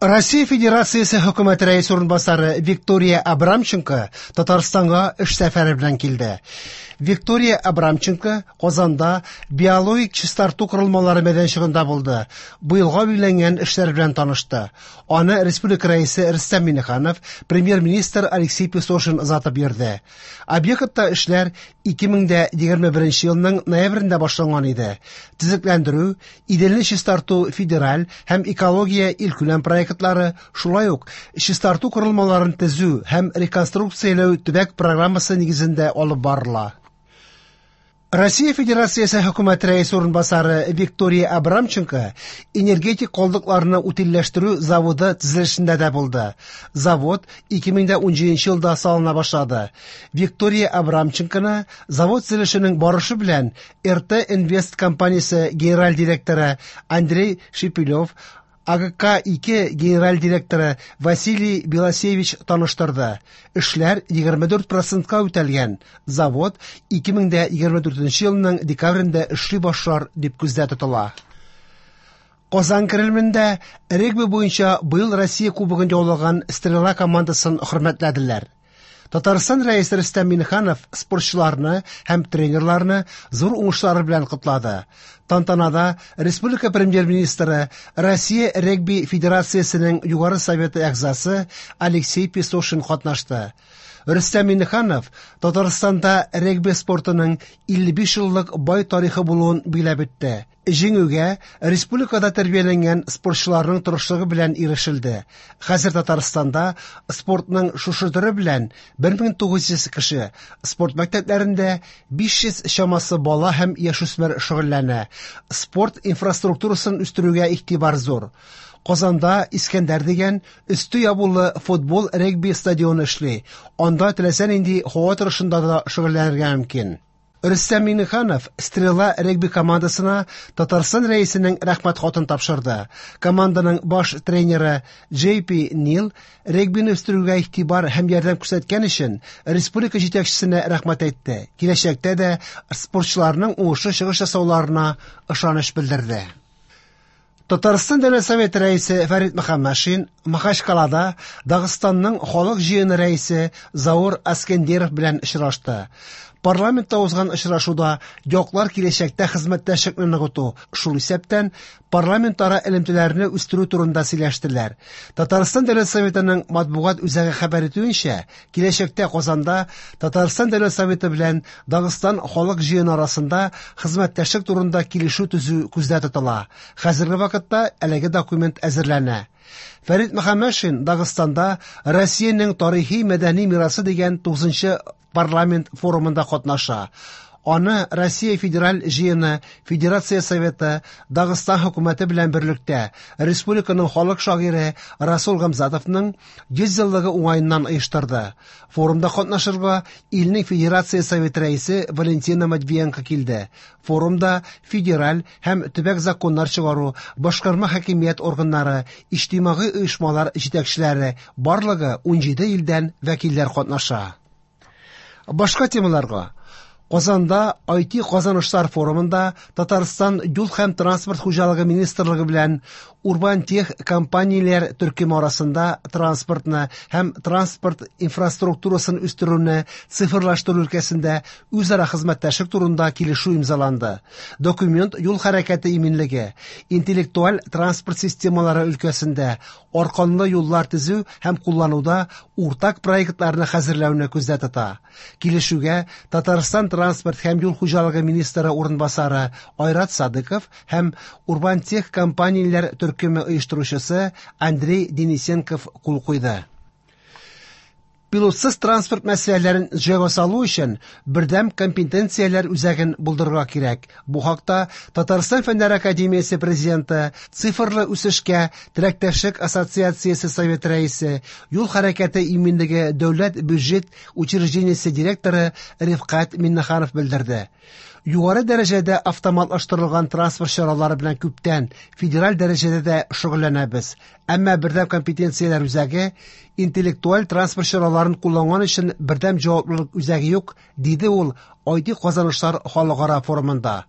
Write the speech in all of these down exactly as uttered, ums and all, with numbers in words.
Россия Федерациясе хөкүмәте рәисе урынбасары Виктория Абрамченко Татарстанга эш сәфәре белән килде. Виктория Абрамченко Казанда биологик чистарту корылмалары мәйданчыгында булды. Быелга билгеләнгән эшләр белән танышты. Аны республика рәисе Рөстәм Миңнеханов, премьер-министр Алексей Песошин озатып йөрде. Объектта эшләр ике мең дә егерме беренче елның ноябрендә башланган иде. Төзекләндерү, Иделне чистарту федераль һәм экология илкүләм проектлары, шулай ук чистарту корылмаларын төзү һәм реконструкцияләү төбәк программасы нигезендә алып барыла. Россия Федерациясе хөкүмәте рәисе урынбасары Виктория Абрамченко энергетик калдыкларны утильләштерү заводы төзелешендә дә булды. Завод ике мең дә унҗиденче елда салына башлады. Виктория Абрамченконы завод төзелешенең барышы белән эр тэ Инвест компаниясе генераль директоры Андрей Шипилев, а гэ ка ике генераль директоры Василий Белосевич таныштырды. Эшләр егерме дүрт процентка үтәлгән. Завод ике мең дә егерме дүртенче елның декабрендә эшли башлар дип күздә тотыла. Казан Кремлендә регби буенча быел Россия кубогын яулаган Стрела командасын хөрмәтләделәр. Татарстан рәисе Рөстәм Миңнеханов спортчыларны һәм тренерларны зур уңышлары белән котлады. Тантанада республика премьер-министры, Россия регби федерациясенең югары советы әгъзасы Алексей Песошин катнашты. Рөстәм Миңнеханов Татарстанда регби спортының илле биш еллык бай тарихы булуын биләп үтте. Җиңүгә республикада тәрбияләнгән спортчыларның тырышлыгы белән ирешелде. Хәзер Татарстанда спортның шушы төре белән бер мең тугыз йөз кеше, спорт мәктәпләрендә биш йөз чамасы бала һәм яшүсмер шөгыльләнә. Спорт инфраструктурасын үстерүгә игътибар зур. Казанда Искәндәр дигән өсте ябулы футбол регби стадионы эшли. Анда теләсә нинди һава торышында да шөгыльләнергә мөмкин. Рөстәм Миңнеханов Стрела регби командасына Татарстан рәисенең рәхмәт хатын тапшырды. Команданың баш тренеры Джей Пи Нил регбины үстерүгә игътибар һәм ярдәм күрсәткән өчен республика җитәкчесенә рәхмәт әйтте. Киләчәктә дә спортчыларның уңышлы чыгыш ясауларына ышаныч белдерде. Татарстан Дәүләт Советы рәисе Фәрит Мөхәммәтшин Махачкалада Дагыстанның халык җыены рәисе Заур Аскендеров белән очрашты. Парламентта узган очрашуда яклар киләчәктә хезмәттәшлекне ныгыту, шул исәптән парламентара элемтәләрне үстерү турында сөйләштеләр. Татарстан Дәүләт Советының матбугат үзәге хәбәр итүенчә, киләчәктә Казанда Татарстан Дәүләт Советы белән Дагыстан халык җыены арасында хезмәттәшлек турында килешү төзү күздә тотыла. Хәзерге вакытта әлеге документ әзерләнә. Фәрит Мөхәммәтшин Дагыстанда Россиянең тарихи мәдәни мирасы дигән тугызынчы парламент форумында катнаша. Аны Россия Федераль җыены, Федерация Советы, Дагыстан хөкүмәте белән берлектә республиканың халык шагыйре Расул Гамзатовның йөз еллыгы уңаеннан оештырды. Форумда катнашырга илнең Федерация Советы рәисе Валентина Матвиенко килде. Форумда федераль һәм төбәк законнар чыгару, башкарма хакимият органнары, иҗтимагый оешмалар җитәкчеләре барлыгы унҗиде илдән вәкилләр катнаша. Башка темаларга. Казанда ай ти казанышлар форумында Татарстан юл һәм транспорт хуҗалыгы министрлыгы белән Урбан Тех компанияләр төркеме арасында транспортны һәм транспорт инфраструктурасын үстерүне цифрлаштыру өлкәсендә үзара хезмәттәшлек турында килешү имзаланды. Документ юл хәрәкәте иминлеге, интеллектуаль транспорт системалары өлкәсендә арканлы юллар төзү һәм куллануда уртак проектларны хәзерләүне күздә тота. Килешүгә Татарстан транспорт һәм юл хуҗалыгы министры урынбасары Айрат Садыков һәм Урбан Тех компанияләр төркеме оештыручысы Андрей Денисенков кул куйды. Пилотсыз транспорт мәсьәләләрен җайга салу өчен бердәм компетенцияләр үзәген булдырырга кирәк. Бу хакта Татарстан Фәннәр академиясе президенты, цифрлы үсешкә теләктәшлек ассоциациясе совет рәисе, юл хәрәкәте иминлеге дәүләт бюджет учреждениесе директоры Рифкать Миннеханов белдерде. Югары дәрәҗәдә автоматлаштырылган транспорт чаралары белән күптән федераль дәрәҗәдә дә шөгыльләнәбез. Әмма бердәм компетенцияләр үзәге интеллектуаль транспорт чараларын кулланган өчен бердәм җаваплылык үзәге юк, диде ул ай ти казанышлар халыкара форумында.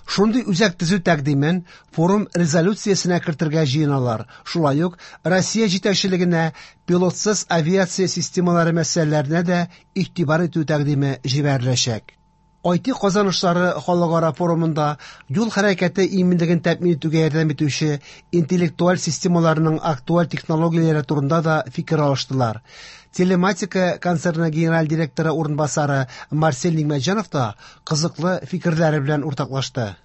Шундый үзәк төзү тәкъдимен форум резолюциясенә кертергә җыеналар. Шулай ук Россия җитәкчелегенә пилотсыз авиация системалары мәсьәләләренә дә игътибар итү тәкъдиме җибәреләчәк. ай ти казанышлары халыкара форумында юл хәрәкәте иминлеген тәэмин итүгә ярдәм итүче интеллектуаль системаларның актуаль технологияләре турында да фикер алыштылар. Телематика концерны генераль директоры урынбасары Марсель Нигъмәтҗанов та кызыклы фикерләре белән уртаклашты.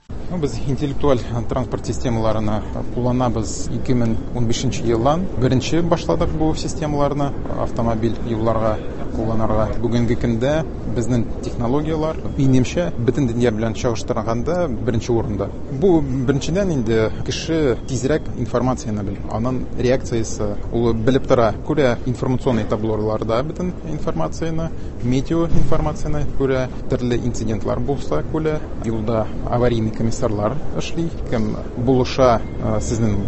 Без интеллектуаль транспорт системаларына кулланабыз ике мең унбишенче елдан. Беренче башладык бу системаларны автомобиль юлларга кулланырга. Бүгенге көндә безнең технологияләр, минемчә, бөтен дөнья белән чагыштырганда беренче урында. Бу беренчедән инде кеше тизрәк информацияне белә, аның реакциясе ул белеп тора, күрә информационный таблоларда бөтен информацияне, метео информацияне күрә, төрле инцидентлар булса күрә, юлда аварийный комиссарлар эшли, кем булыша, сезнең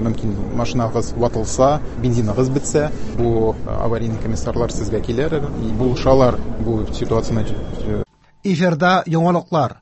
мөмкин машинагыз ватылса, бензиныгыз бетсә, бу аварийный комиссарлар сезгә килер, булышалар бу ситуацияне. Эфирда яңалыклар.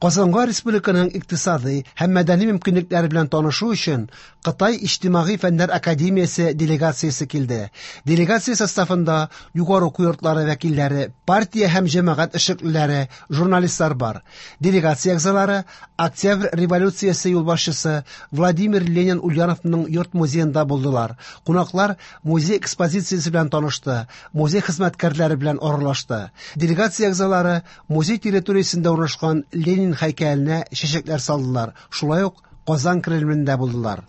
Казанга республиканың икътисади һәм мәдәни мөмкинлекләре белән танышу өчен Кытай Иҗтимагый фәннәр академиясе делегациясе килде. Делегация составында югары уку йортлары вәкилләре, партия һәм җәмәгать эшлеклеләре, журналистлар бар. Делегация әгъзалары Октябрь революциясе юлбашчысы Владимир Ленин Ульяновның йорт музеенда булдылар. Кунаклар музей экспозициясе белән танышты, музей хезмәткәрләре белән аралашты. Делегация әгъзалары музей территориясендә урнашкан Ленин һәйкәленә чәчәкләр салдылар. Шулай ук Казан Кремлендә булдылар.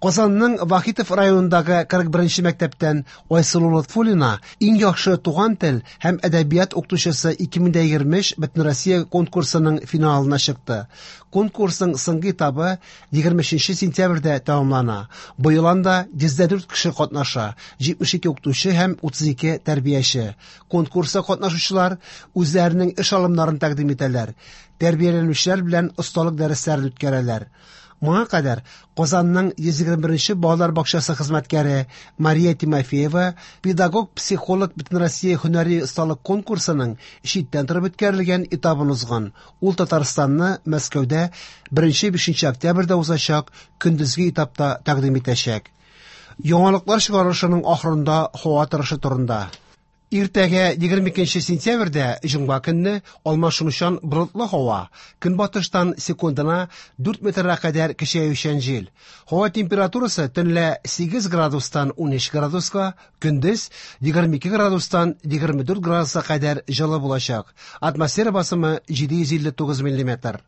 Казанның Вахитов районындагы кырык беренче мәктәптән Айсылу Лотфуллина иң яхшы туган тел һәм әдәбият укытучысы ике мең дә егерме өч Бөтенроссия конкурсының финалына чыкты. Конкурсның соңгы этабы егерме өченче сентябрьдә тәмамлана. Быел анда йөз дә дүрт кеше катнаша, җитмеш ике укытучы һәм утыз ике тәрбияче. Конкурста катнашучылар үзләренең эш алымнарын тәкъдим итәләр, тәрбияләнүчеләр белән осталык дәресләрен үткәрәләр. Моңа кадәр Казанның йөз егерме беренче балалар бакчасы хезмәткәре Мария Тимофеева педагог-психолог Бөтенроссия һөнәри осталык конкурсының читтән торып үткәрелгән этабын узган. Ул Татарстанны Мәскәүдә беренче бишенче октябрьдә узачак көндезге этапта тәкъдим итәчәк. Яңалыклар чыгарылышының ахырында һава торышы турында. Иртәгә егерме икенче сентябрьдә җомга көнне алмашынучан болытлы һава, көнбатыштан секундына дүрт метрга кадәр көчәючән җил. Һава температурасы төнлә сигез градустан унөч градуска, көндез егерме ике градустан егерме дүрт градуска кадәр җылы булачак. Атмосфера басымы җиде йөз илле тугыз миллиметр.